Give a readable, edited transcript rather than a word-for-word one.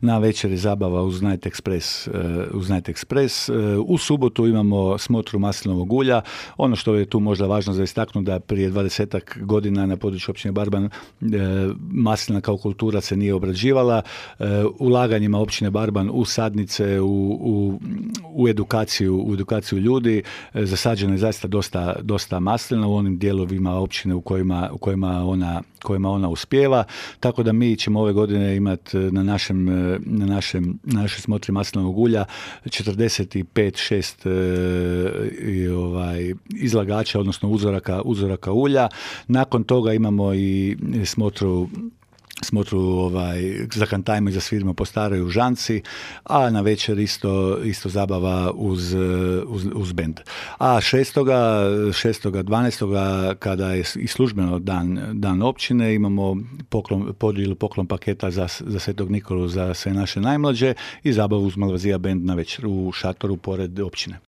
na večer je zabava uz Night Express. U subotu imamo smotru maslinovog ulja. Ono što je tu možda važno za istaknuti da prije 20 godina na području općine Barban maslina kao kultura se nije obrađivala. Ulaganjima općine Barban u sadnice, u edukaciju ljudi zasađeno je zaista dosta maslina u onim dijelovima općine u kojima ona uspijeva, tako da mi ćemo ove godine imati na našoj smotri maslinovog ulja 45-6 izlagača, odnosno uzoraka ulja. Nakon toga imamo i smotru za kantajmo i za svirimo po staroj u Žanci, a na večer isto zabava uz bend. A 6.12. kada je i službeno dan općine, imamo podjelu poklon paketa za Svetog Nikolu za sve naše najmlađe i zabavu uz Malvazija bend na večer u šatoru pored općine.